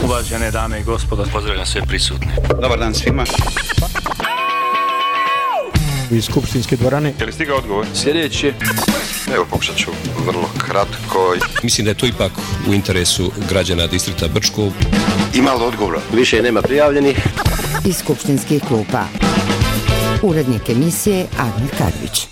Uvažene dame i gospodo, pozdravljam sve prisutne. Dobar dan svima. Iz skupštinske dvorane. Je li stigao odgovor? Sljedeći. Evo, pokušat ću vrlo kratko. Mislim da je to ipak u interesu građana distrikta Brčko. Ima li odgovora? Više nema prijavljenih. Iz skupštinskih klupa. Urednik emisije Admir Kadrić.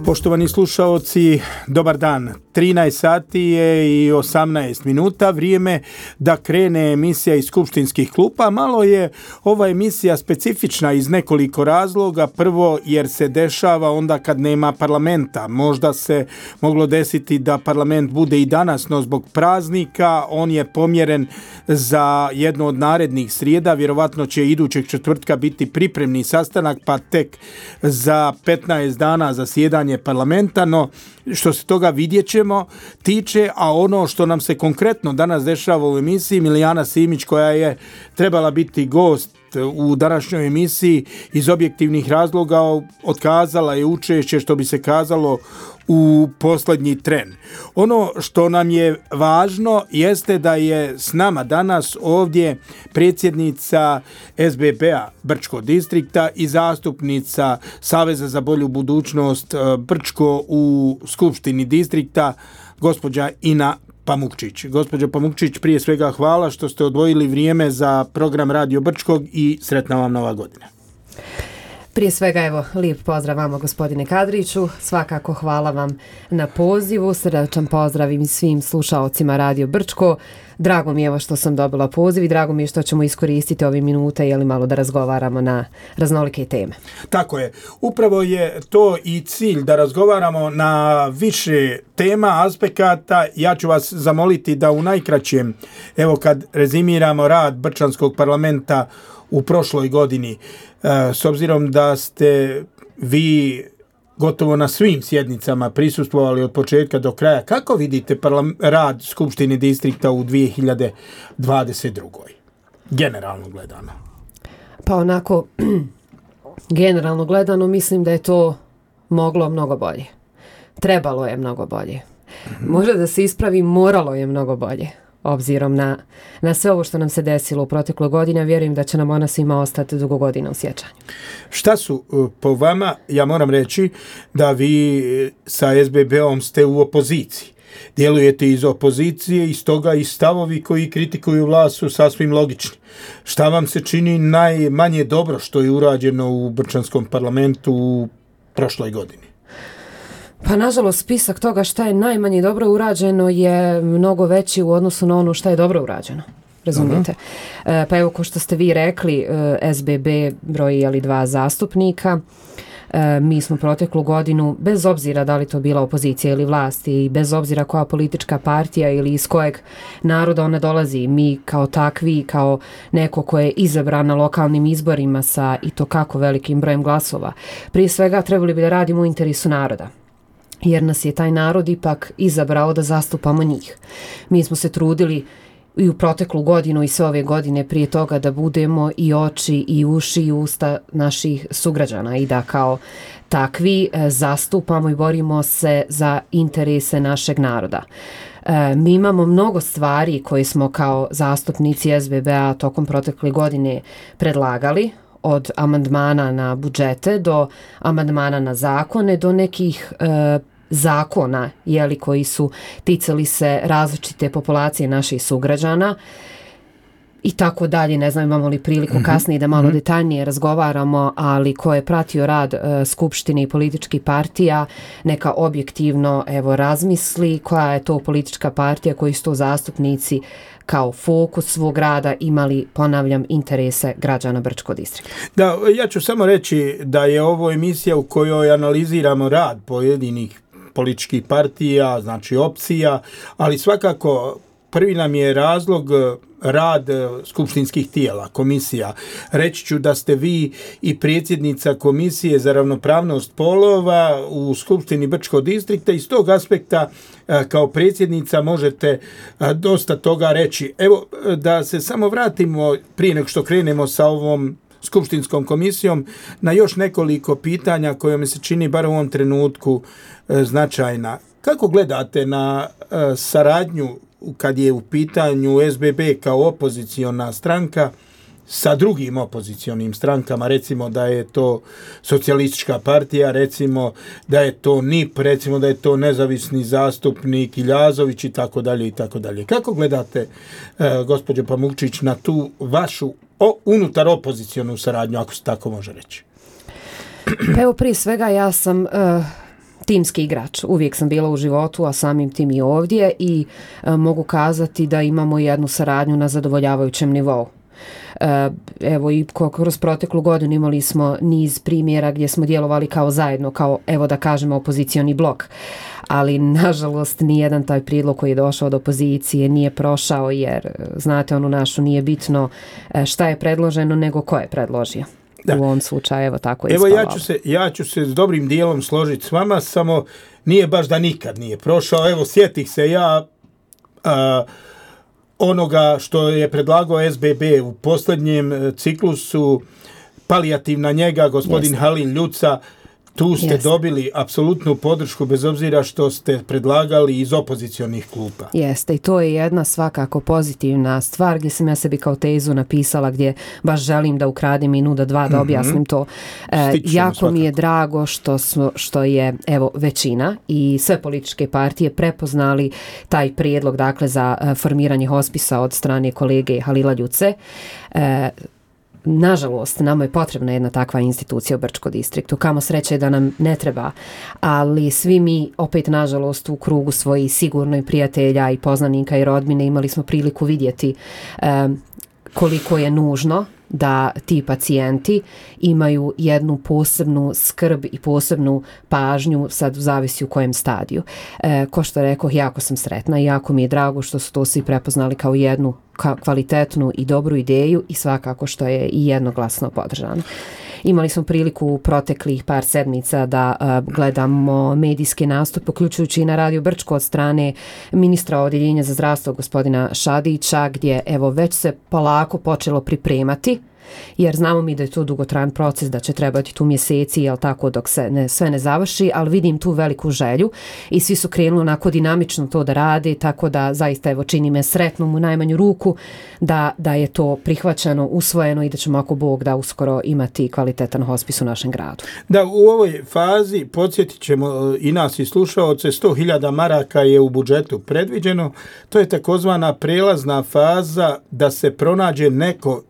Poštovani slušaoci, dobar dan. 13 sati je i 18 minuta, vrijeme da krene emisija iz skupštinskih klupa. Malo je ova emisija specifična iz nekoliko razloga. Prvo, jer se dešava onda kad nema parlamenta. Možda se moglo desiti da parlament bude i danas, no zbog praznika on je pomjeren za jedno od narednih srijeda. Vjerovatno će idućeg četvrtka biti pripremni sastanak, pa tek za 15 dana zasjedanje parlamenta, no što se toga vidjet ćemo tiče, a ono što nam se konkretno danas dešava u emisiji, Milijana Simić, koja je trebala biti gost u današnjoj emisiji, iz objektivnih razloga otkazala je učešće, što bi se kazalo, u posljednji tren. Ono što nam je važno jeste da je s nama danas ovdje predsjednica SBB-a Brčko distrikta i zastupnica Saveza za bolju budućnost Brčko u Skupštini distrikta, gospođa Ina Pamukčić. Gospođo Pamukčić, prije svega hvala što ste odvojili vrijeme za program Radio Brčkog i sretna vam nova godina. Prije svega, evo, lijep pozdrav vama, gospodine Kadriću. Svakako hvala vam na pozivu. Srdačan pozdrav i svim slušaocima Radio Brčko. Drago mi je evo što sam dobila poziv i drago mi je što ćemo iskoristiti ove minute malo da razgovaramo na raznolike teme. Tako je. Upravo je to i cilj, da razgovaramo na više tema, aspekata. Ja ću vas zamoliti da u najkraćem, evo kad rezimiramo rad Brčanskog parlamenta u prošloj godini, s obzirom da ste vi gotovo na svim sjednicama prisustvovali od početka do kraja, kako vidite rad Skupštine distrikta u 2022. Generalno gledano? Pa onako, generalno gledano mislim da je to moglo mnogo bolje. Trebalo je mnogo bolje. Možda da se ispravi, moralo je mnogo bolje. Obzirom na sve ovo što nam se desilo u protekloj godini, vjerujem da će nam ona svima ostati dugo godina u sjećanju. Šta su po vama, ja moram reći da vi sa SBB-om ste u opoziciji. Djelujete iz opozicije i stoga i stavovi koji kritikuju vlast su sasvim logični. Šta vam se čini najmanje dobro što je urađeno u Brčanskom parlamentu u prošloj godini? Pa nažalost spisak toga šta je najmanje dobro urađeno je mnogo veći u odnosu na ono šta je dobro urađeno. Razumijete? Pa evo, ko što ste vi rekli, SBB broji 2 zastupnika. Mi smo proteklu godinu, bez obzira da li to bila opozicija ili vlast i bez obzira koja politička partija ili iz kojeg naroda ona dolazi, mi kao takvi, kao neko ko je izabran na lokalnim izborima sa i to kako velikim brojem glasova, prije svega trebali bi da radimo u interesu naroda. Jer nas je taj narod ipak izabrao da zastupamo njih. Mi smo se trudili i u proteklu godinu i sve ove godine prije toga da budemo i oči i uši i usta naših sugrađana i da kao takvi zastupamo i borimo se za interese našeg naroda. Mi imamo mnogo stvari koje smo kao zastupnici SBB-a tokom protekle godine predlagali, od amandmana na budžete do amandmana na zakone, do nekih zakona koji su ticali se različite populacije naših sugrađana i tako dalje. Ne znam, imamo li priliku kasnije da malo detaljnije razgovaramo, ali ko je pratio rad Skupštine i političkih partija, neka objektivno razmisli koja je to politička partija, koji su to zastupnici kao fokus svog rada imali, ponavljam, interese građana Brčkog distrikta. Da, ja ću samo reći da je ovo emisija u kojoj analiziramo rad pojedinih političkih partija, znači opcija, ali svakako prvi nam je razlog rad skupštinskih tijela, komisija. Reći ću da ste vi i predsjednica Komisije za ravnopravnost polova u Skupštini Brčkog distrikta. Iz tog aspekta kao predsjednica možete dosta toga reći. Evo, da se samo vratimo prije nego što krenemo sa ovom skupštinskom komisijom na još nekoliko pitanja koje mi se čini bar u ovom trenutku značajna. Kako gledate na saradnju kad je u pitanju SBB kao opoziciona stranka sa drugim opozicionim strankama, recimo da je to socijalistička partija, recimo da je to NIP, recimo da je to nezavisni zastupnik Iljazović i tako dalje i tako dalje. Kako gledate, gospođo Pamukčić, na tu vašu unutar opozicionu saradnju, ako se tako može reći? Pa evo, prije svega ja sam timski igrač. Uvijek sam bila u životu, a samim tim i ovdje i mogu kazati da imamo jednu saradnju na zadovoljavajućem nivou. Evo i kroz proteklu godinu imali smo niz primjera gdje smo djelovali kao zajedno, kao evo da kažemo opozicioni blok, ali nažalost nijedan taj prijedlog koji je došao od opozicije nije prošao, jer znate onu našu, nije bitno šta je predloženo nego ko je predložio. Da. U ovom slučaju evo tako je ispalo. Evo ja ću se s dobrim dijelom složiti s vama, samo nije baš da nikad nije prošao. Evo sjetih se ja onoga što je predlagao SBB u posljednjem ciklusu, palijativna njega, gospodin Halil Ljuca, tu ste dobili apsolutnu podršku bez obzira što ste predlagali iz opozicionih klupa. Jeste, i to je jedna svakako pozitivna stvar gdje sam ja sebi kao tezu napisala, gdje baš želim da ukradim minuta dva da objasnim to. Jako svakako mi je drago što je evo većina i sve političke partije prepoznali taj prijedlog, dakle, za formiranje hospisa od strane kolege Halila Ljuce. Nažalost, nama je potrebna jedna takva institucija u Brčko distriktu. Kamo sreće da nam ne treba, ali svi mi opet nažalost u krugu svojih sigurno prijatelja i poznanika i rodbine imali smo priliku vidjeti koliko je nužno da ti pacijenti imaju jednu posebnu skrb i posebnu pažnju, sad zavisi u kojem stadiju. Ko što rekao, jako sam sretna i jako mi je drago što su to svi prepoznali kao jednu kvalitetnu i dobru ideju i svakako što je i jednoglasno podržano. Imali smo priliku u proteklih par sedmica da gledamo medijske nastupe, uključujući i na Radio Brčko od strane ministra odjeljenja za zdravstvo gospodina Šadića, gdje evo već se polako počelo pripremati, jer znamo mi da je to dugotrajan proces, da će trebati tu mjeseci, jel tako, dok se sve ne završi, ali vidim tu veliku želju i svi su krenuli onako dinamično to da rade, tako da zaista evo čini me sretnom u najmanju ruku da je to prihvaćeno, usvojeno i da ćemo ako Bog da uskoro imati kvalitetan hospis u našem gradu. Da, u ovoj fazi podsjetit ćemo i nas i slušaoce, 100.000 maraka je u budžetu predviđeno, to je takozvana prelazna faza da se pronađe neko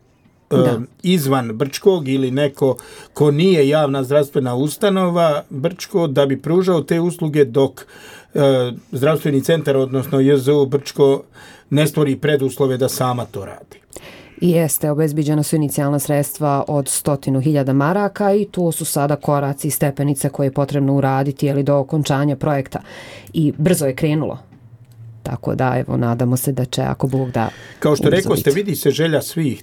izvan Brčkog ili neko ko nije javna zdravstvena ustanova Brčko da bi pružao te usluge dok zdravstveni centar, odnosno JZU Brčko ne stvori preduslove da sama to radi. Jeste, obezbiđena su inicijalna sredstva od 100.000 maraka i to su sada koraci i stepenice koje je potrebno uraditi do okončanja projekta i brzo je krenulo. Tako da evo nadamo se da će ako Bog da. Kao što rekao ste, vidi se želja svih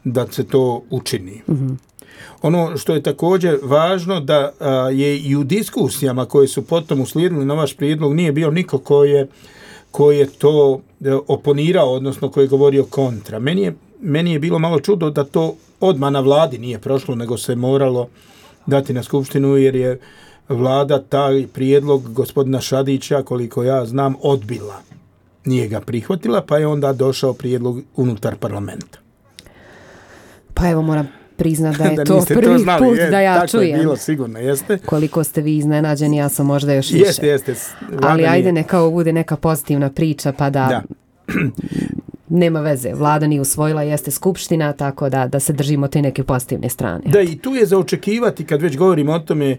da se to učini. Mm-hmm. Ono što je također važno da je i u diskusijama koje su potom uslijedili na vaš prijedlog nije bio niko ko je to oponirao, odnosno ko je govorio kontra. Meni je bilo malo čudo da to odmah na vladi nije prošlo, nego se moralo dati na skupštinu, jer je vlada taj prijedlog gospodina Šadića, koliko ja znam, odbila. Nije ga prihvatila, pa je onda došao prijedlog unutar parlamenta. Pa evo moram priznati da je to prvi put da ja tako čujem. Tako je bilo, sigurno, jeste. Koliko ste vi iznenađeni, ja sam možda još više. Jeste. Ali ajde neka bude neka pozitivna priča, pa da. Nema veze, vlada nije usvojila, jeste skupština, tako da se držimo te neke pozitivne strane. Da, i tu je za očekivati, kad već govorimo o tome,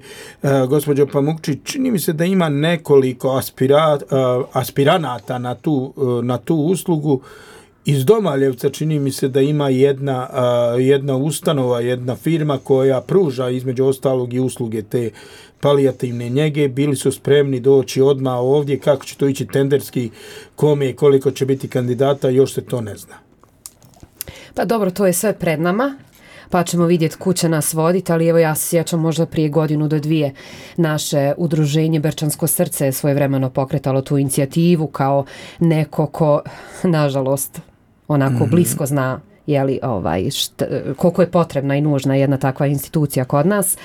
gospođo Pamukčić, čini mi se da ima nekoliko aspiranata na tu uslugu. Iz Domaljevca čini mi se da ima jedna ustanova, jedna firma koja pruža između ostalog i usluge te palijativne njege. Bili su spremni doći odmah ovdje. Kako će to ići tenderski, kome i koliko će biti kandidata, još se to ne zna. Pa dobro, to je sve pred nama, pa ćemo vidjeti kuda će nas voditi, ali evo ja se sjećam možda prije 1 do 2 naše udruženje Brčansko srce je svojevremeno pokretalo tu inicijativu kao neko ko, nažalost, onako blisko zna koliko je potrebna i nužna jedna takva institucija kod nas.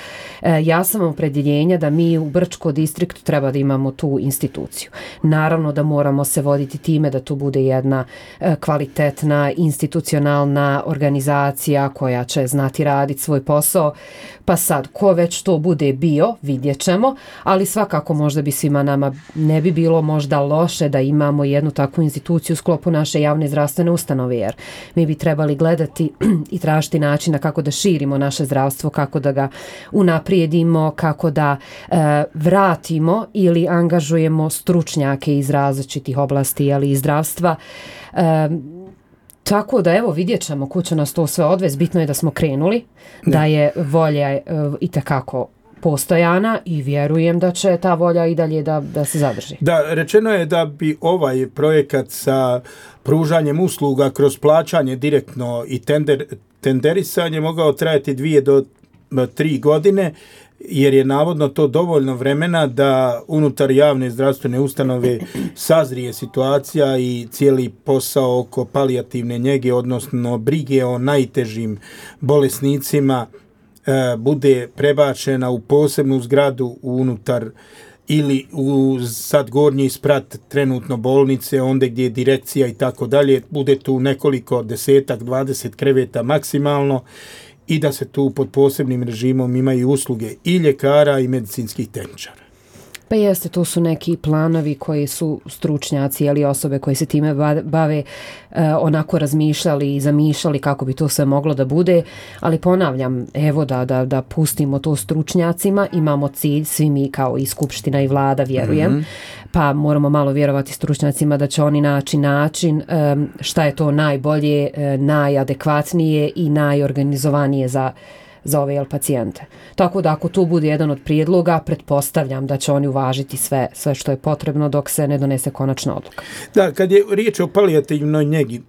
Ja sam opredjeljenja da mi u Brčko distriktu treba da imamo tu instituciju. Naravno da moramo se voditi time da tu bude jedna kvalitetna institucionalna organizacija koja će znati raditi svoj posao. Pa sad, ko već to bude bio, vidjet ćemo, ali svakako možda bi svima nama ne bi bilo možda loše da imamo jednu takvu instituciju u sklopu naše javne zdravstvene ustanove, jer mi bi trebali gledati i tražiti načina kako da širimo naše zdravstvo, kako da ga unaprijedimo, kako da vratimo ili angažujemo stručnjake iz različitih oblasti, ali i zdravstva. Tako da evo vidjet ćemo kuće nas to sve odvesti. Bitno je da smo krenuli, da je volja itekako postojana i vjerujem da će ta volja i dalje da se zadrži. Da, rečeno je da bi ovaj projekat sa pružanjem usluga kroz plaćanje direktno i tenderisanje mogao trajati 2 do 3 godine, jer je navodno to dovoljno vremena da unutar javne zdravstvene ustanove sazrije situacija i cijeli posao oko palijativne njege, odnosno brige o najtežim bolesnicima, bude prebačena u posebnu zgradu unutar ili u sad gornji sprat trenutno bolnice, onda gdje je direkcija i tako dalje, bude tu nekoliko 10-20 kreveta maksimalno i da se tu pod posebnim režimom imaju usluge i ljekara i medicinskih tehničara. Pa jeste, to su neki planovi koji su stručnjaci ili osobe koji se time bave onako razmišljali i zamišljali kako bi to sve moglo da bude, ali ponavljam, evo da pustimo to stručnjacima, imamo cilj, svi mi kao i Skupština i Vlada, vjerujem, pa moramo malo vjerovati stručnjacima da će oni naći način šta je to najbolje, najadekvatnije i najorganizovanije za ove pacijente. Tako da ako tu bude jedan od prijedloga, pretpostavljam da će oni uvažiti sve što je potrebno dok se ne donese konačna odluka. Da, kad je riječ o palijativnoj njegi,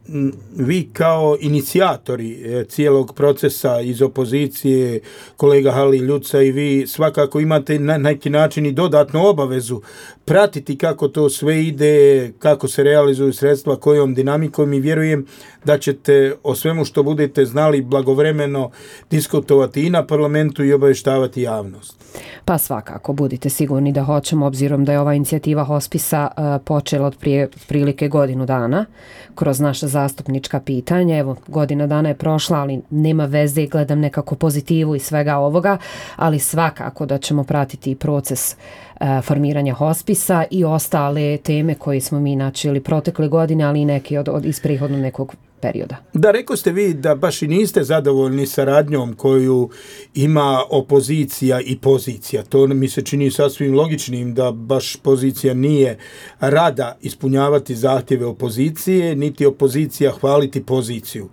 vi kao inicijatori cijelog procesa iz opozicije, kolega Halil Ljuca i vi svakako imate na neki način i dodatnu obavezu pratiti kako to sve ide, kako se realizuju sredstva, kojom dinamikom, i vjerujem da ćete o svemu što budete znali blagovremeno diskutovati i na parlamentu i obavještavati javnost. Pa svakako, budite sigurni da hoćemo, obzirom da je ova inicijativa hospisa počela od prije prilike godinu dana kroz naša zastupnička pitanja. Evo, godina dana je prošla, ali nema veze, gledam nekako pozitivu i svega ovoga, ali svakako da ćemo pratiti proces formiranja hospisa i ostale teme koje smo mi načeli protekle godine, ali i neki iz prethodnog nekog perioda. Da, rekao ste vi da baš i niste zadovoljni saradnjom koju ima opozicija i pozicija. To mi se čini sasvim logičnim da baš pozicija nije rada ispunjavati zahtjeve opozicije, niti opozicija hvaliti poziciju.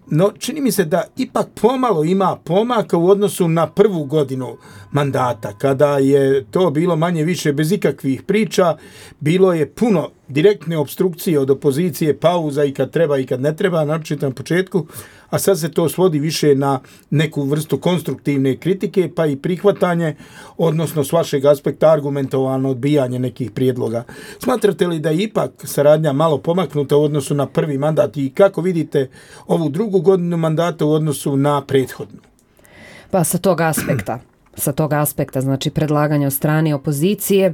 No, čini mi se da ipak pomalo ima pomaka u odnosu na prvu godinu mandata, kada je to bilo manje više bez ikakvih priča, bilo je puno direktne opstrukcije od opozicije, pauza i kad treba i kad ne treba, naročito na početku, a sad se to svodi više na neku vrstu konstruktivne kritike, pa i prihvatanje, odnosno s vašeg aspekta argumentovano odbijanje nekih prijedloga. Smatrate li da je ipak saradnja malo pomaknuta u odnosu na prvi mandat i kako vidite ovu drugu godinu mandata u odnosu na prethodnu? Pa sa tog aspekta, znači predlaganja od strane opozicije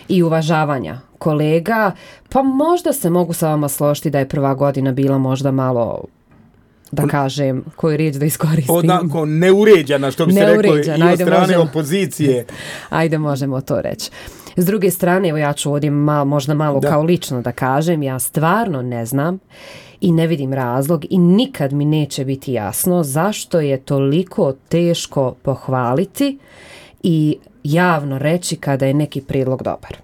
i uvažavanja kolega, pa možda se mogu sa vama složiti da je prva godina bila možda malo, da kažem, koju riječ da iskoristim. Onako neuređena, što bi se reklo, i od strane opozicije. Ajde, možemo to reći. S druge strane, evo ja ću ovdje možda malo kao lično da kažem, ja stvarno ne znam i ne vidim razlog i nikad mi neće biti jasno zašto je toliko teško pohvaliti i javno reći kada je neki prijedlog dobar.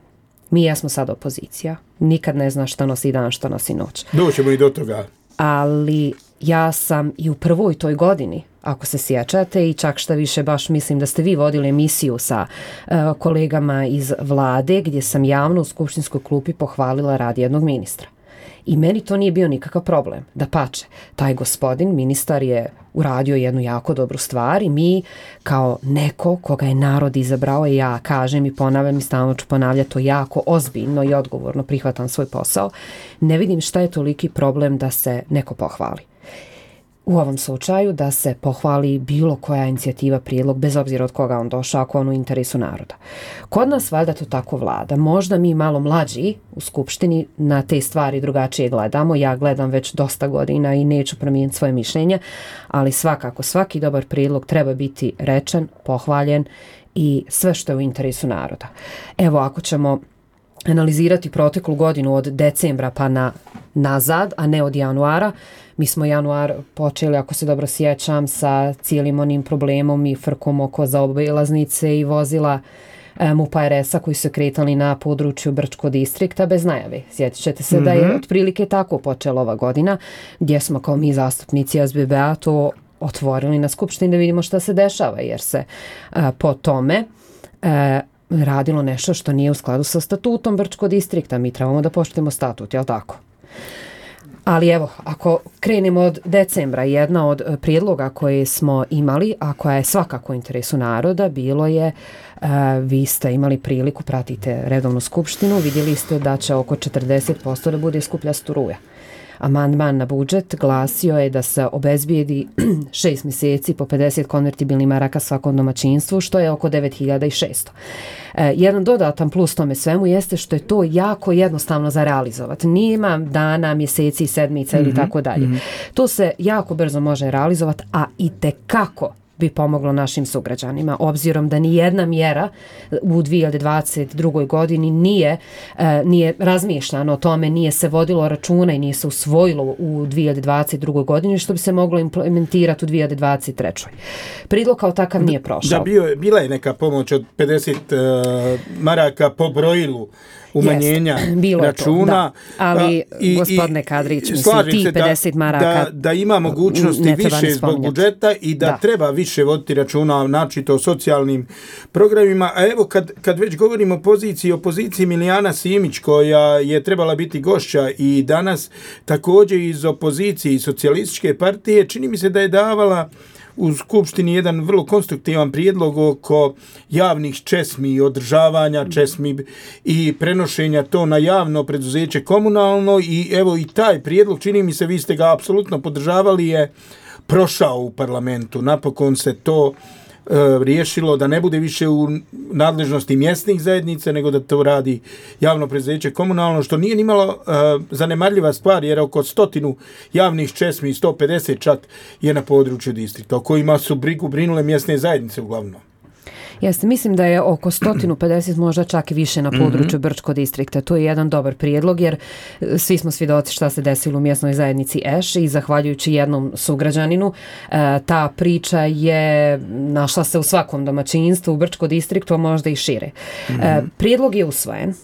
Mi jesmo sad opozicija, nikad ne zna šta nosi dan, šta nosi noć. Doćemo i do toga. Ali ja sam i u prvoj toj godini, ako se sjećate, i čak šta više baš mislim da ste vi vodili emisiju sa kolegama iz Vlade gdje sam javno u skupštinskoj klupi pohvalila rad jednog ministra. I meni to nije bio nikakav problem. Dapače, taj gospodin, ministar, je uradio jednu jako dobru stvar i mi kao neko koga je narod izabrao, i ja kažem i ponavljam i stalno ću ponavljati to jako ozbiljno i odgovorno prihvatam svoj posao, ne vidim šta je toliki problem da se neko pohvali. u ovom slučaju da se pohvali bilo koja inicijativa, prijedlog, bez obzira od koga on došao, ako on u interesu naroda. Kod nas valjda to tako vlada. Možda mi malo mlađi u Skupštini na te stvari drugačije gledamo. Ja gledam već dosta godina i neću promijeniti svoje mišljenje, ali svakako svaki dobar prijedlog treba biti rečen, pohvaljen i sve što je u interesu naroda. Evo, ako ćemo analizirati proteklu godinu od decembra pa nazad, a ne od januara. Mi smo januar počeli, ako se dobro sjećam, sa cijelim onim problemom i frkom oko zaobilaznice i vozila MUP-a RS-a koji su kretali na području Brčkog distrikta bez najave. Sjetit ćete se da je otprilike tako počela ova godina, gdje smo kao mi zastupnici SBB-a to otvorili na Skupštini da vidimo šta se dešava, jer se po tome radilo nešto što nije u skladu sa statutom Brčkog distrikta. Mi trebamo da poštujemo statut, jel tako? Ali evo, ako krenemo od decembra, jedna od prijedloga koje smo imali, a koja je svakako u interesu naroda, bilo je, vi ste imali priliku, pratite redovnu skupštinu, vidjeli ste da će oko 40% da bude skuplja struja. Amandman na budžet glasio je da se obezbijedi 6 mjeseci po 50 konvertibilnih maraka svakom domaćinstvu, što je oko 9600. Jedan dodatan plus tome svemu jeste što je to jako jednostavno za realizovati. Nima dana, mjeseci, sedmica ili tako dalje. To se jako brzo može realizovati, a itekako bi pomoglo našim sugrađanima, obzirom da ni jedna mjera u 2022. godini nije razmišljano o tome, nije se vodilo računa i nije se usvojilo u 2022. godini, što bi se moglo implementirati u 2023. Prijedlog kao takav nije prošao. Bila je neka pomoć od 50 maraka po brojilu umanjenja računa. To, ali gospodine Kadrić, ti 50 maraka da ima mogućnosti više zbog budžeta i da treba više voditi računa načito o socijalnim programima. A evo kad već govorimo o opoziciji Milijana Simić, koja je trebala biti gošća i danas također iz opozicije i socijalističke partije, čini mi se da je davala u Skupštini jedan vrlo konstruktivan prijedlog oko javnih česmi i održavanja česmi i prenošenja to na javno preduzeće komunalno, i evo i taj prijedlog, čini mi se, vi ste ga apsolutno podržavali, je prošao u parlamentu. Napokon se to riješilo da ne bude više u nadležnosti mjesnih zajednica, nego da to radi javno preduzeće komunalno, što nije nimalo zanemarljiva stvar, jer oko 100 javnih česmi, 150 čak, je na području distrikta, o kojima su brinule mjesne zajednice uglavnom. Jeste, mislim da je oko 150, možda čak i više na području Brčkog distrikta. To je jedan dobar prijedlog, jer svi smo svjedoci šta se desilo u mjesnoj zajednici Eš i zahvaljujući jednom sugrađaninu, ta priča je našla se u svakom domaćinstvu u Brčkom distriktu, a možda i šire. Prijedlog je usvojen.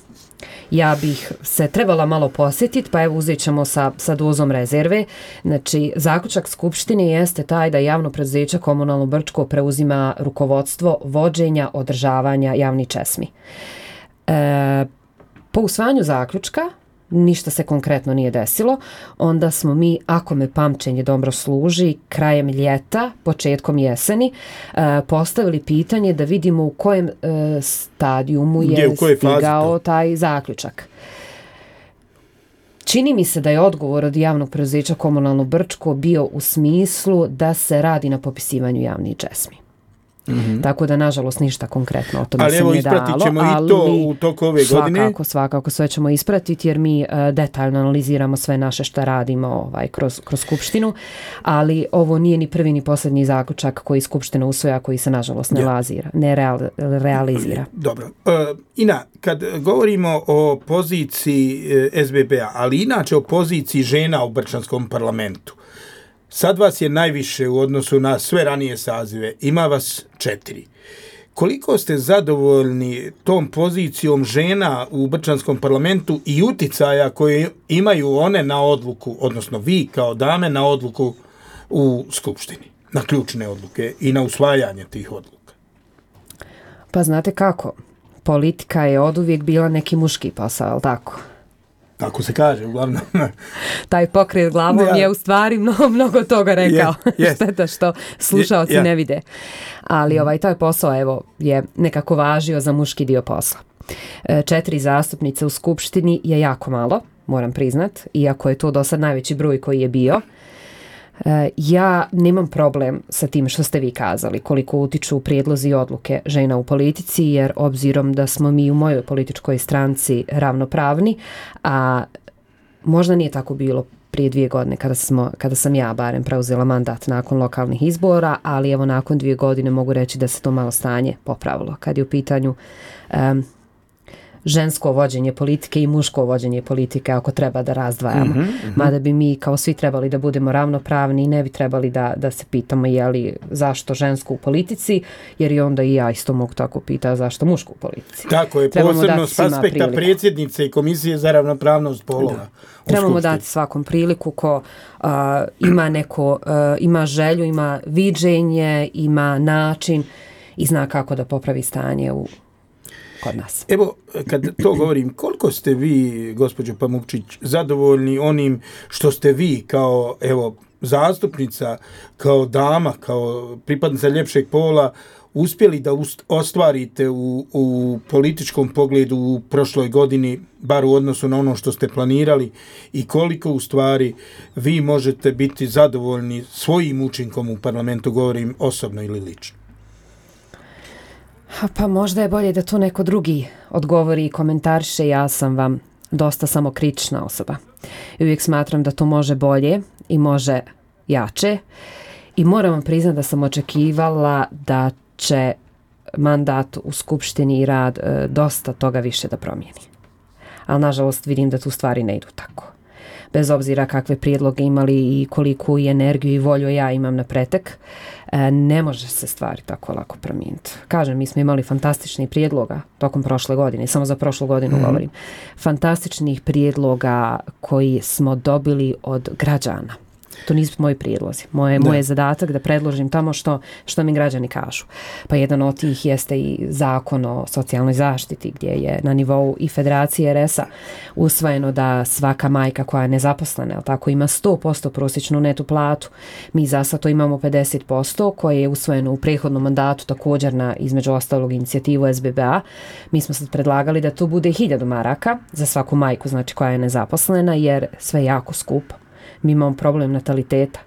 Ja bih se trebala malo posjetiti, pa evo uzet ćemo sa dozom rezerve. Znači, zaključak Skupštine jeste taj da javno preduzeće Komunalno Brčko preuzima rukovodstvo vođenja, održavanja javnih česmi. Po usvajanju zaključka, ništa se konkretno nije desilo, onda smo mi, ako me pamćenje dobro služi, krajem ljeta, početkom jeseni, postavili pitanje da vidimo u kojem stadijumu je stigao taj zaključak. Čini mi se da je odgovor od javnog preduzeća Komunalno Brčko bio u smislu da se radi na popisivanju javnih česmi. Tako da, nažalost, ništa konkretno o tome se nije dalo. Ali evo, ispratit ćemo i to u toku ove godine. Svakako, sve ćemo ispratiti, jer mi detaljno analiziramo sve naše šta radimo kroz Skupštinu, ali ovo nije ni prvi ni posljednji zaključak koji Skupština usvoja, koji se, nažalost, ne realizira. Dobro. Ina, kad govorimo o poziciji SBB-a, ali inače o poziciji žena u Brčanskom parlamentu, sad vas je najviše u odnosu na sve ranije sazive, ima vas 4. Koliko ste zadovoljni tom pozicijom žena u Brčanskom parlamentu i uticaja koje imaju one na odluku, odnosno vi kao dame na odluku u Skupštini, na ključne odluke i na usvajanje tih odluka? Pa znate kako, politika je oduvijek bila neki muški posao, ali tako? Tako se kaže, uglavnom. Taj pokret glavom je u stvari mnogo toga rekao. Šteta što slušaoci ne vide. Ali taj posao, evo, je nekako važio za muški dio posla. 4 zastupnice u Skupštini je jako malo, moram priznat, iako je to do sad najveći broj koji je bio. Ja nemam problem sa tim što ste vi kazali, koliko utiču prijedlozi i odluke žena u politici, jer obzirom da smo mi u mojoj političkoj stranci ravnopravni, a možda nije tako bilo prije 2 godine kada sam ja barem preuzela mandat nakon lokalnih izbora, ali evo nakon 2 godine mogu reći da se to malo stanje popravilo. Kad je u pitanju žensko vođenje politike i muško vođenje politike, ako treba da razdvajamo. Mada bi mi kao svi trebali da budemo ravnopravni i ne bi trebali da se pitamo zašto žensko u politici, jer i onda i ja isto mogu tako pitati zašto muško u politici. Tako je, posebno s aspekta predsjednice i Komisije za ravnopravnost polova. Trebamo dati svakom priliku ko ima želju, ima viđenje, ima način i zna kako da popravi stanje kod nas. Evo, kad to govorim, koliko ste vi, gospođo Pamukčić, zadovoljni onim što ste vi kao, zastupnica, kao dama, kao pripadnica ljepšeg pola, uspjeli da ostvarite u političkom pogledu u prošloj godini, bar u odnosu na ono što ste planirali, i koliko u stvari vi možete biti zadovoljni svojim učinkom u parlamentu, govorim osobno ili lično? Pa možda je bolje da to neko drugi odgovori i komentariše. Ja sam vam dosta samokritična osoba. I uvijek smatram da to može bolje i može jače. I moram vam priznati da sam očekivala da će mandat u Skupštini i rad dosta toga više da promijeni. Ali nažalost vidim da tu stvari ne idu tako. Bez obzira kakve prijedloge imali i koliku i energiju i volju ja imam na pretek, ne može se stvari tako lako promijeniti. Kažem, mi smo imali fantastičnih prijedloga tokom prošle godine, samo za prošlu godinu govorim. Fantastičnih prijedloga koji smo dobili od građana. To nisu moji prijedlozi. Moj je zadatak da predložim tamo što mi građani kažu. Pa jedan od tih jeste i zakon o socijalnoj zaštiti, gdje je na nivou i Federacije RS-a usvojeno da svaka majka koja je nezaposlena, tako, ima 100% prosječnu netu platu. Mi za sad to imamo 50%, koje je usvojeno u prethodnom mandatu također na, između ostalog, inicijativu SBB-a. Mi smo sad predlagali da to bude 1000 maraka za svaku majku, znači koja je nezaposlena, jer sve je jako skupo. Mi imamo problem nataliteta,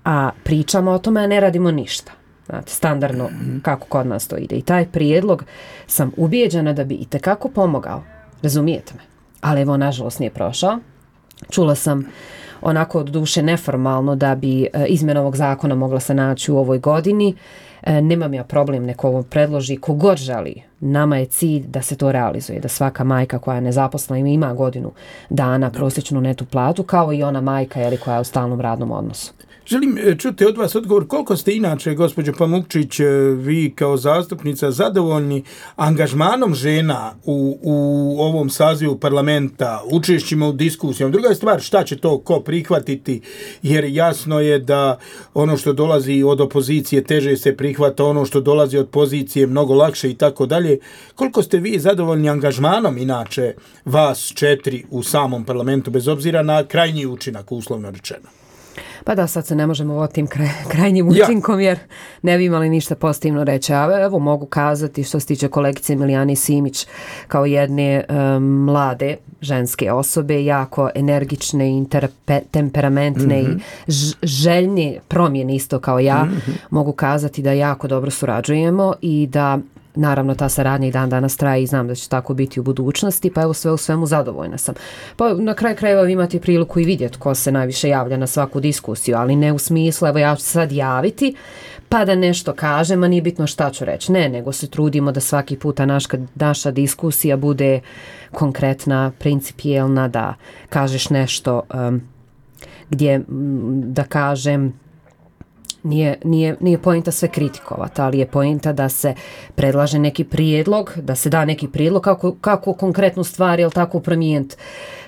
a pričamo o tome, a ne radimo ništa. Znate, standardno kako kod nas to ide. I taj prijedlog sam ubijeđena da bi itekako pomogao. Razumijete me? Ali evo, nažalost, nije prošao. Čula sam onako od duše neformalno da bi izmjena ovog zakona mogla se naći u ovoj godini. Nemam ja problem, neko ovo predloži, kogod želi. Nama je cilj da se to realizuje, da svaka majka koja je nezaposlena ima godinu dana prosječnu netu platu, kao i ona majka koja je u stalnom radnom odnosu. Želim čuti od vas odgovor koliko ste inače, gospođo Pamukčić, vi kao zastupnica zadovoljni angažmanom žena u ovom sazivu parlamenta, učešćima u diskusijama. Druga je stvar šta će to ko prihvatiti, jer jasno je da ono što dolazi od opozicije teže se prihvata, ono što dolazi od pozicije mnogo lakše i tako dalje. Koliko ste vi zadovoljni angažmanom inače vas 4 u samom parlamentu, bez obzira na krajnji učinak, uslovno rečeno? Pa da, sad se ne možemo o tim krajnjim učinkom, jer ne bi imali ništa pozitivno reći. A evo mogu kazati što se tiče kolegice Milijane Simić, kao jedne mlade ženske osobe, jako energične i temperamentne i željne promjene isto kao ja, mogu kazati da jako dobro surađujemo i da naravno ta saradnja i dan danas traje i znam da će tako biti u budućnosti, pa evo sve u svemu zadovoljna sam. Pa na kraju krajeva imate priliku i vidjeti ko se najviše javlja na svaku diskusiju, ali ne u smislu evo ja ću sad javiti pa da nešto kažem, a nije bitno šta ću reći. Ne, nego se trudimo da svaki puta naša diskusija bude konkretna, principijelna, da kažeš nešto gdje, da kažem, nije pointa sve kritikovati, ali je pointa da se predlaže neki prijedlog, da se da neki prijedlog kako konkretnu stvar, jel tako, promijeniti.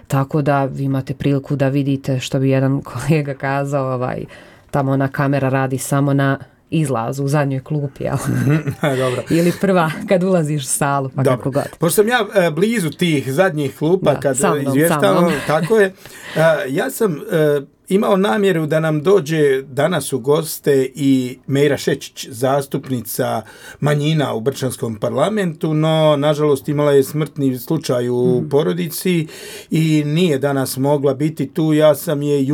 Tako da vi imate priliku da vidite, što bi jedan kolega kazao, tamo ona kamera radi samo na izlazu u zadnjoj klupi, Dobro. Ili prva kad ulaziš u salu, pa kako god. Pošto sam ja blizu tih zadnjih klupa kad izvještavam, tako je, ja sam imao namjeru da nam dođe danas u goste i Mejra Šečić, zastupnica manjina u Brčanskom parlamentu, no nažalost imala je smrtni slučaj u porodici i nije danas mogla biti tu. Ja sam je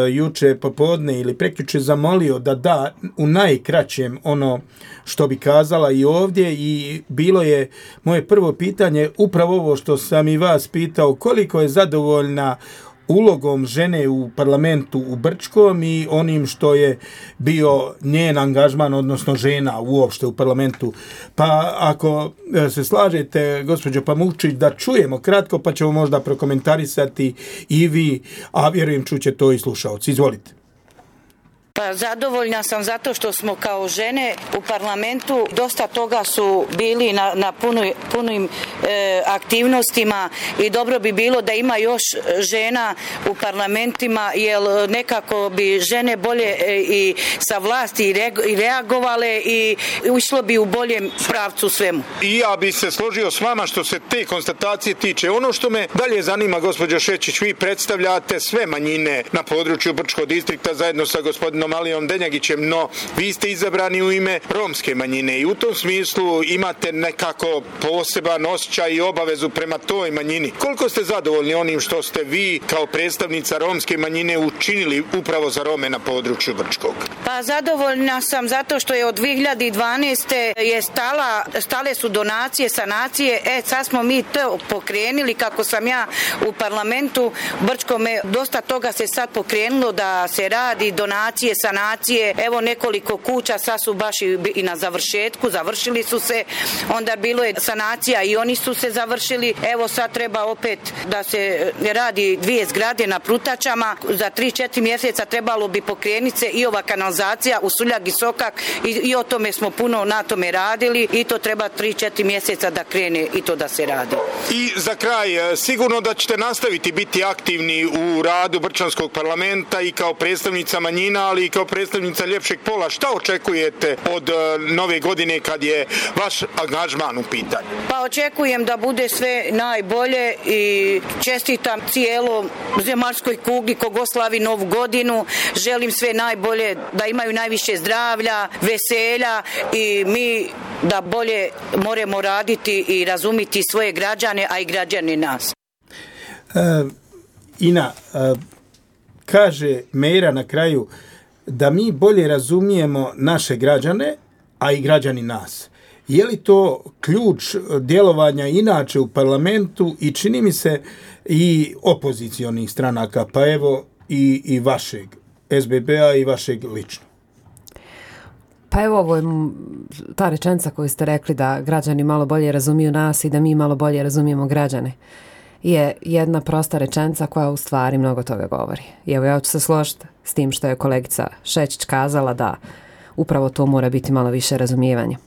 juče popodne ili prekjuče zamolio da da u najkraćem ono što bi kazala i ovdje, i bilo je moje prvo pitanje upravo ovo što sam i vas pitao, koliko je zadovoljna ulogom žene u parlamentu u Brčkom i onim što je bio njen angažman, odnosno žena uopšte u parlamentu. Pa ako se slažete, gospođo Pamučić, da čujemo kratko, pa ćemo možda prokomentarisati i vi, a vjerujem čuće to i slušaoci. Izvolite. Pa zadovoljna sam zato što smo kao žene u parlamentu, dosta toga su bili na punim aktivnostima i dobro bi bilo da ima još žena u parlamentima, jer nekako bi žene bolje i sa vlasti i reagovale i išlo bi u boljem pravcu svemu. I ja bi se složio s vama što se te konstatacije tiče. Ono što me dalje zanima, gospođo Šečić, vi predstavljate sve manjine na području Brčkog distrikta zajedno sa gospodinom Alijom Denjagićem, no vi ste izabrani u ime romske manjine i u tom smislu imate nekako poseban osjećaj i obavezu prema toj manjini. Koliko ste zadovoljni onim što ste vi kao predstavnica romske manjine učinili upravo za Rome na području Brčkog? Pa zadovoljna sam zato što je od 2012. je stale su donacije, sanacije, sad smo mi to pokrenuli kako sam ja u parlamentu Brčkome, dosta toga se sad pokrenulo da se radi, donacije, sanacije, evo nekoliko kuća sad su baš i na završetku, završili su se, onda bilo je sanacija i oni su se završili, evo sad treba opet da se radi 2 zgrade na Prutačama, za 3-4 mjeseca trebalo bi pokrenuti se i ova kanalizacija u Suljag i Sokak i o tome smo puno na tome radili i to treba 3-4 mjeseca da krene i to da se radi. I za kraj, sigurno da ćete nastaviti biti aktivni u radu Brčanskog parlamenta i kao predstavnica manjina, ali i kao predstavnica ljepšeg pola. Šta očekujete od nove godine kad je vaš angažman u pitanju? Pa očekujem da bude sve najbolje i čestitam cijelom zemaljskoj kugli kogo slavi novu godinu. Želim sve najbolje, da imaju najviše zdravlja, veselja i mi da bolje moramo raditi i razumiti svoje građane, a i građani nas. Ina, kaže Mejra na kraju da mi bolje razumijemo naše građane, a i građani nas. Je li to ključ djelovanja inače u parlamentu i čini mi se i opozicionih stranaka, pa evo i vašeg SBB-a i vašeg lično? Pa evo ovo je ta rečenica koju ste rekli da građani malo bolje razumiju nas i da mi malo bolje razumijemo građane. Je jedna prosta rečenica koja u stvari mnogo toga govori. I evo ja ću se složiti s tim što je kolegica Šečić kazala da upravo to mora biti malo više razumijevanja.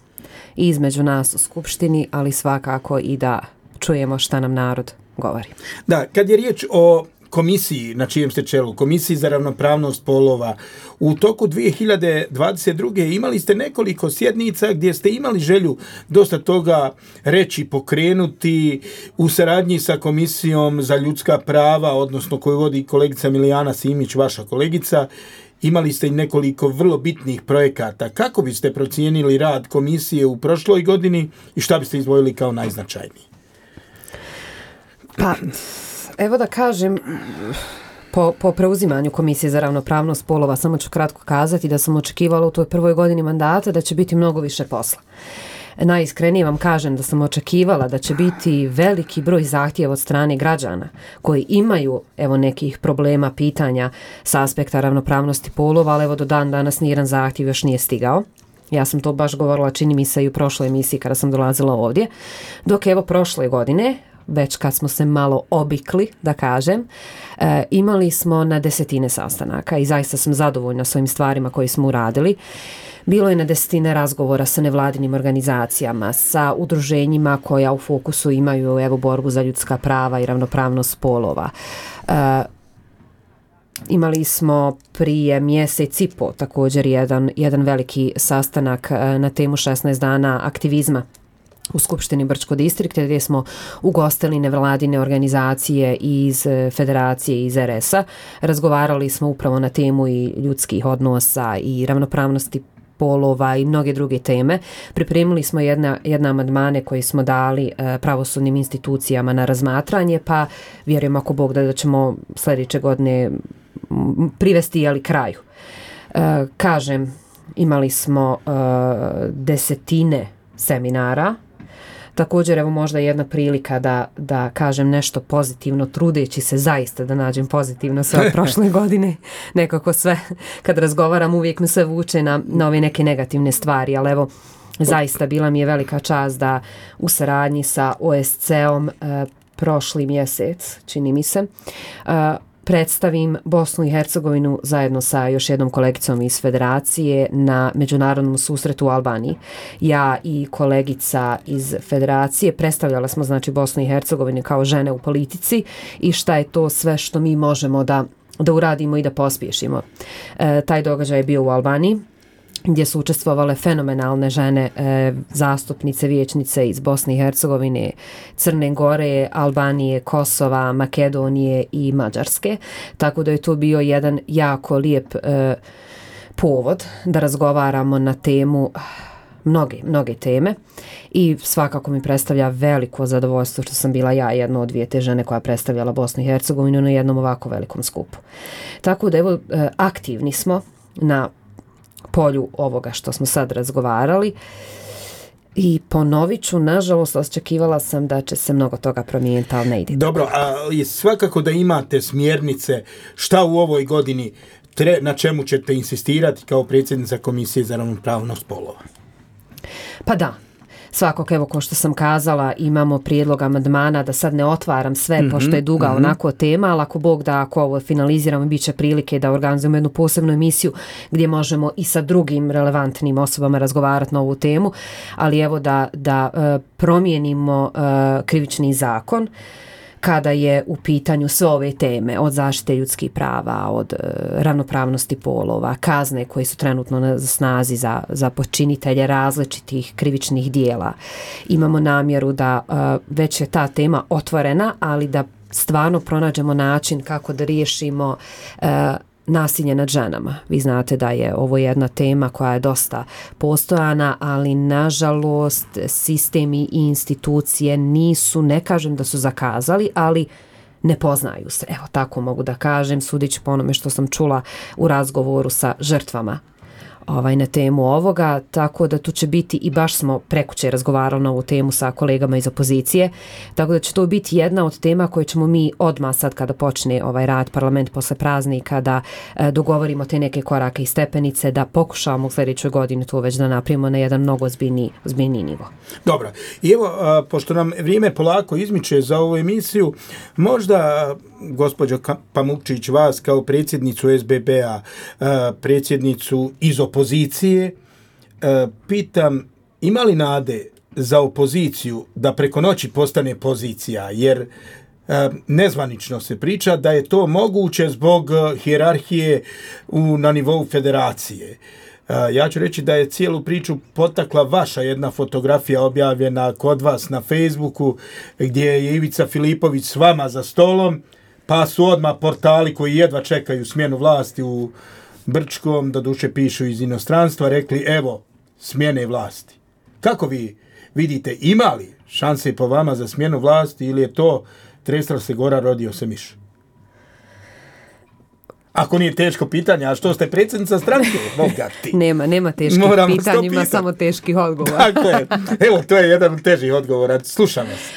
I između nas u Skupštini, ali svakako i da čujemo šta nam narod govori. Da, kad je riječ o komisiji na čijem ste čelu, Komisiji za ravnopravnost polova, u toku 2022. imali ste nekoliko sjednica gdje ste imali želju dosta toga reći, pokrenuti u saradnji sa Komisijom za ljudska prava, odnosno koju vodi kolegica Milijana Simić, vaša kolegica. Imali ste i nekoliko vrlo bitnih projekata. Kako biste procijenili rad komisije u prošloj godini i šta biste izdvojili kao najznačajniji? Pa, evo da kažem, po preuzimanju Komisije za ravnopravnost polova, samo ću kratko kazati da sam očekivala u toj prvoj godini mandata da će biti mnogo više posla. Najiskrenije vam kažem da sam očekivala da će biti veliki broj zahtjeva od strane građana koji imaju evo nekih problema, pitanja sa aspekta ravnopravnosti polova, ali evo do dan danas nijedan zahtjev još nije stigao. Ja sam to baš govorila, čini mi se, i u prošloj emisiji kada sam dolazila ovdje. Dok evo prošle godine, već kad smo se malo obikli, da kažem, imali smo na desetine sastanaka i zaista sam zadovoljna s ovim stvarima koje smo uradili. Bilo je na desetine razgovora sa nevladinim organizacijama, sa udruženjima koja u fokusu imaju evo borbu za ljudska prava i ravnopravnost polova. Imali smo prije mjesec i po također jedan veliki sastanak na temu 16 dana aktivizma u Skupštini Brčko distrikta gdje smo ugostili nevladine organizacije iz Federacije, iz RS-a. Razgovarali smo upravo na temu i ljudskih odnosa i ravnopravnosti polova i mnoge druge teme. Pripremili smo jedne amandmane koje smo dali pravosudnim institucijama na razmatranje, pa vjerujem ako Bog da ćemo sljedeće godine privesti kraju. Kažem, imali smo desetine seminara. Također, evo možda jedna prilika da kažem nešto pozitivno, trudeći se zaista da nađem pozitivno sve od prošle godine. Nekako sve, kad razgovaram, uvijek me sve vuče na ove neke negativne stvari, ali evo, zaista bila mi je velika čast da u saradnji sa OSCE-om prošli mjesec, čini mi se, predstavim Bosnu i Hercegovinu zajedno sa još jednom kolegicom iz Federacije na međunarodnom susretu u Albaniji. Ja i kolegica iz Federacije predstavljala smo znači Bosnu i Hercegovinu kao žene u politici i šta je to sve što mi možemo da uradimo i da pospješimo. Taj događaj je bio u Albaniji, gdje su učestvovale fenomenalne žene, zastupnice, vijećnice iz Bosne i Hercegovine, Crne Gore, Albanije, Kosova, Makedonije i Mađarske. Tako da je to bio jedan jako lijep povod da razgovaramo na temu mnoge teme i svakako mi predstavlja veliko zadovoljstvo što sam bila ja jedna od dvije te žene koja predstavljala Bosnu i Hercegovinu na jednom ovako velikom skupu. Tako da evo, aktivni smo na polju ovoga što smo sad razgovarali i ponovit ću, nažalost, očekivala sam da će se mnogo toga promijeniti, ali ne ide. Dobro, ali svakako da imate smjernice šta u ovoj godini na čemu ćete insistirati kao predsjednica Komisije za ravnopravnost spolova? Pa da. Svakog, evo, ko što sam kazala, imamo prijedlog amandmana, da sad ne otvaram sve, pošto je duga onako tema, ali ako Bog da, ako ovo finaliziramo, bit će prilike da organizujemo jednu posebnu emisiju gdje možemo i sa drugim relevantnim osobama razgovarati na ovu temu, ali evo da promijenimo krivični zakon kada je u pitanju sve ove teme, od zaštite ljudskih prava, od ravnopravnosti polova, kazne koje su trenutno na snazi za počinitelje različitih krivičnih dijela. Imamo namjeru da već je ta tema otvorena, ali da stvarno pronađemo način kako da riješimo nasilje nad ženama. Vi znate da je ovo jedna tema koja je dosta postojana, ali nažalost sistemi i institucije nisu, ne kažem da su zakazali, ali ne poznaju se. Evo, tako mogu da kažem, sudeći po onome što sam čula u razgovoru sa žrtvama na temu ovoga, tako da tu će biti, i baš smo prekuće razgovarali na ovu temu sa kolegama iz opozicije, tako da će to biti jedna od tema koje ćemo mi odmah sad kada počne rad parlament posle praznika da dogovorimo te neke korake i stepenice, da pokušamo u sljedećoj godini to već da napravimo na jedan mnogo ozbiljniji nivo. Dobro, i evo, pošto nam vrijeme polako izmiče za ovu emisiju, možda gospođo Pamukčić, vas kao predsjednicu SBB-a, predsjednicu iz opozicije, pitam, ima li nade za opoziciju da preko noći postane pozicija, jer nezvanično se priča da je to moguće zbog hijerarhije na nivou federacije. Ja ću reći da je cijelu priču potakla vaša jedna fotografija objavljena kod vas na Facebooku, gdje je Ivica Filipović s vama za stolom, pa su odmah portali koji jedva čekaju smjenu vlasti u Brčkom, doduše pišu iz inostranstva, rekli evo smjene vlasti. Kako vi vidite, ima li šanse po vama za smjenu vlasti ili je to tresla se gora, rodio se miš? Ako nije teško pitanje, a što ste predsjednica stranke? Nema teških pitanja, ima samo teških odgovora. Tako je. Evo, to je jedan od težih odgovora. Slušam vas.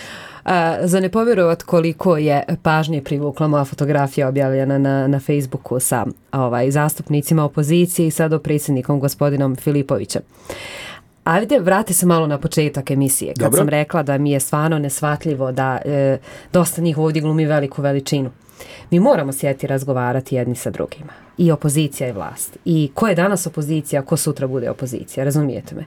Za ne povjerovat koliko je pažnje privukla moja fotografija objavljena na Facebooku sa zastupnicima opozicije i sad predsjednikom gospodinom Filipovićem. Ajde, vrati se malo na početak emisije. Kad sam rekla da mi je stvarno nesvatljivo da dosta njih ovdje glumi veliku veličinu. Mi moramo sjeti razgovarati jedni sa drugima. I opozicija i vlast. I ko je danas opozicija, ko sutra bude opozicija, razumijete me?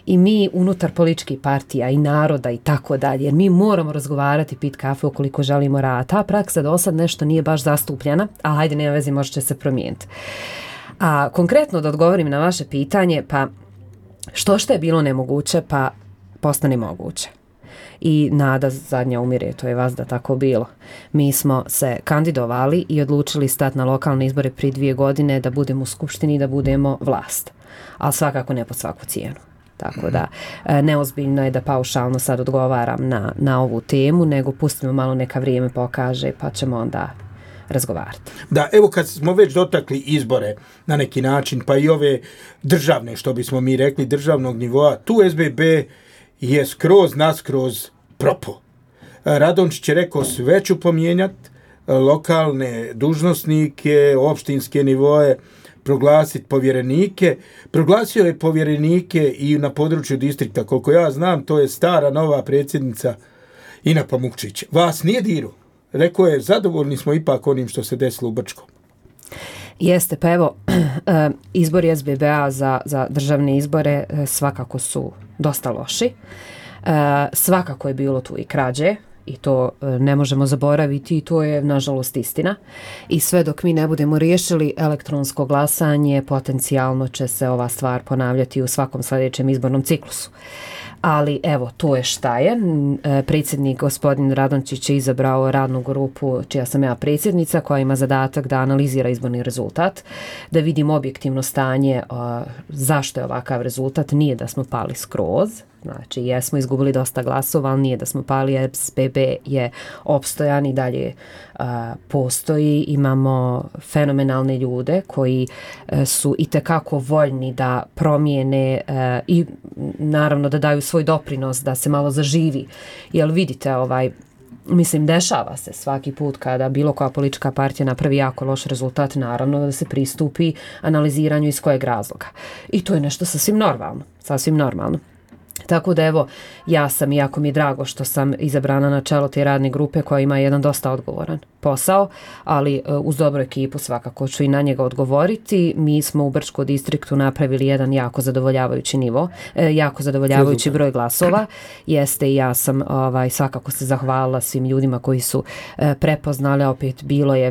I mi unutar političkih partija i naroda i tako dalje, jer mi moramo razgovarati, pit kafe ukoliko želimo rad. Ta praksa do sad nešto nije baš zastupljena, ali hajde, nema veze, možda će se promijeniti. A konkretno da odgovorim na vaše pitanje, pa što je bilo nemoguće, pa postane moguće. I nada zadnja umire, to je vas da tako bilo. Mi smo se kandidovali i odlučili stati na lokalne izbore prije 2 godine da budemo u skupštini i da budemo vlast. Ali svakako ne pod svaku cijenu. Tako da neozbiljno je da paušalno sad odgovaram na ovu temu, nego pustimo malo neka vrijeme pokaže pa ćemo onda razgovarati. Da, evo kad smo već dotakli izbore na neki način, pa i ove državne, što bismo mi rekli, državnog nivoa, tu SBB je skroz naskroz propo. Radončić je rekao sve ću pomijenjati, lokalne dužnosnike, opštinske nivoje, proglasiti povjerenike. Proglasio je povjerenike i na području distrikta. Koliko ja znam, to je stara nova predsjednica Ina Pamukčić. Vas nije diru. Rekao je, zadovoljni smo ipak onim što se desilo u Brčkom. Jeste, pa evo, izbori SBB-a za državne izbore svakako su dosta loši. Svakako je bilo tu i krađe i to ne možemo zaboraviti i to je nažalost istina. I sve dok mi ne budemo riješili elektronsko glasanje, potencijalno će se ova stvar ponavljati u svakom sljedećem izbornom ciklusu. Ali evo, to je šta je. Predsjednik gospodin Radončić je izabrao radnu grupu čija sam ja predsjednica, koja ima zadatak da analizira izborni rezultat, da vidimo objektivno stanje zašto je ovakav rezultat. Nije da smo pali skroz, znači jesmo izgubili dosta glasova, ali nije da smo pali, SBB je opstojan i dalje postoji. Imamo fenomenalne ljude koji su itekako voljni da promijene i naravno da daju svoj doprinos da se malo zaživi. Jer vidite, mislim, dešava se svaki put kada bilo koja politička partija napravi jako loš rezultat, naravno da se pristupi analiziranju iz kojeg razloga. I to je nešto sasvim normalno. Tako da evo, ja sam, jako mi je drago što sam izabrana na čelo te radne grupe koja ima jedan dosta odgovoran posao, ali uz dobru ekipu svakako ću i na njega odgovoriti. Mi smo u Brčkom distriktu napravili jedan jako zadovoljavajući nivo, jako zadovoljavajući broj glasova. Jeste, i ja sam svakako se zahvalila svim ljudima koji su prepoznali, opet bilo je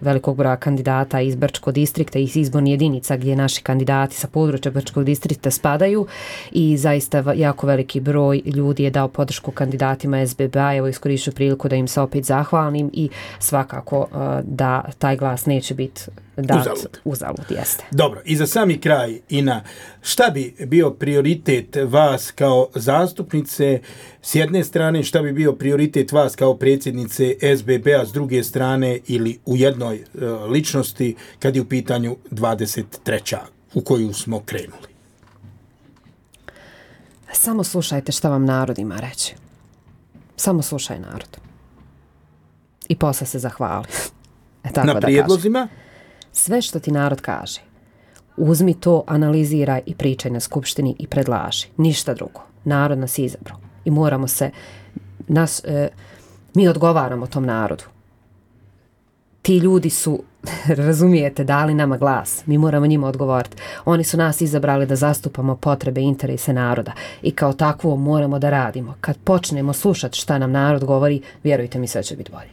velikog broja kandidata iz Brčkog distrikta i iz izbornih jedinica gdje naši kandidati sa područja Brčkog distrikta spadaju i zaista jako veliki broj ljudi je dao podršku kandidatima SBB-a. Evo, iskorišću priliku da im se opet zahvalim i svakako da taj glas neće biti dat uzalud. Jeste. Dobro, i za sami kraj, Ina, šta bi bio prioritet vas kao zastupnice s jedne strane, šta bi bio prioritet vas kao predsjednice SBB-a s druge strane ili u jednoj ličnosti kad je u pitanju 23. u koju smo krenuli? Samo slušajte šta vam narod ima reći. Samo slušaj narod. I posle se zahvali. Na prijedlozima? Sve što ti narod kaže, uzmi to, analiziraj i pričaj na skupštini i predlaži. Ništa drugo. Narod nas izabrao. I moramo se, mi odgovaramo tom narodu. Ti ljudi su, razumijete, dali nama glas. Mi moramo njima odgovoriti. Oni su nas izabrali da zastupamo potrebe i interese naroda. I kao takvo moramo da radimo. Kad počnemo slušati šta nam narod govori, vjerujte mi, sve će biti bolje.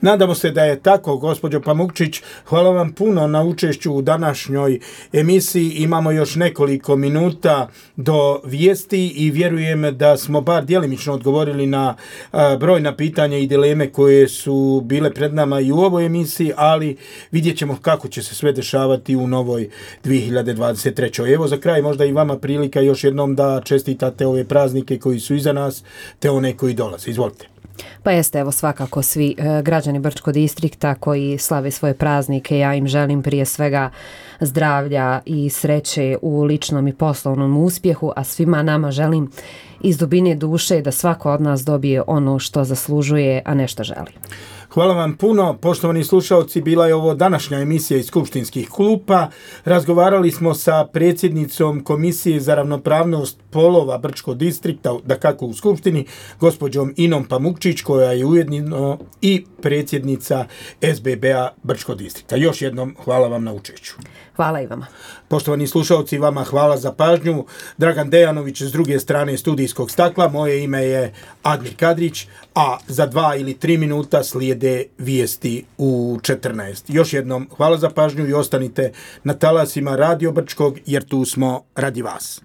Nadamo se da je tako, gospođo Pamukčić. Hvala vam puno na učešću u današnjoj emisiji. Imamo još nekoliko minuta do vijesti i vjerujem da smo bar djelimično odgovorili na brojna pitanja i dileme koje su bile pred nama i u ovoj emisiji, ali vidjet ćemo kako će se sve dešavati u novoj 2023. Evo za kraj možda i vama prilika još jednom da čestitate ove praznike koji su iza nas, te one koji dolaze. Izvolite. Pa jeste, evo svakako svi građani Brčkog distrikta koji slave svoje praznike, ja im želim prije svega zdravlja i sreće u ličnom i poslovnom uspjehu, a svima nama želim iz dubine duše da svako od nas dobije ono što zaslužuje, a ne što želi. Hvala vam puno, poštovani slušalci, bila je ovo današnja emisija iz Skupštinskih klupa. Razgovarali smo sa predsjednicom Komisije za ravnopravnost polova Brčkog distrikta, dakako u Skupštini, gospođom Inom Pamukčić, koja je ujedno i predsjednica SBB-a Brčkog distrikta. Još jednom hvala vam na učešću. Hvala i vama. Poštovani slušalci, vama hvala za pažnju. Dragan Dejanović s druge strane studijskog stakla, moje ime je Admir Kadrić, a za 2 ili 3 minuta slijede vijesti u 14. Još jednom hvala za pažnju i ostanite na talasima Radio Brčkog jer tu smo radi vas.